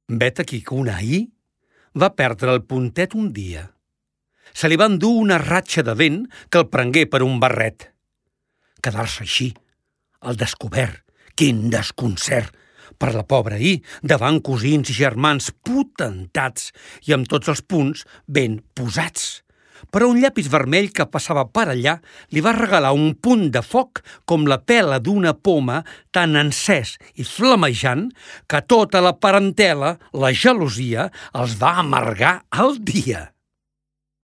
Vet aquí que un ahir va perdre el puntet un dia. Se li va endur una ratxa de vent que el prengué per un barret. Quedar-se així, al descobert, quin desconcert, per la pobra ahir, davant cosins i germans potentats i amb tots els punts ben posats. Però un llapis vermell que passava per allà li va regalar un punt de foc com la pela d'una poma tan encès i flamejant que tota la parentela, la gelosia, els va amargar el dia.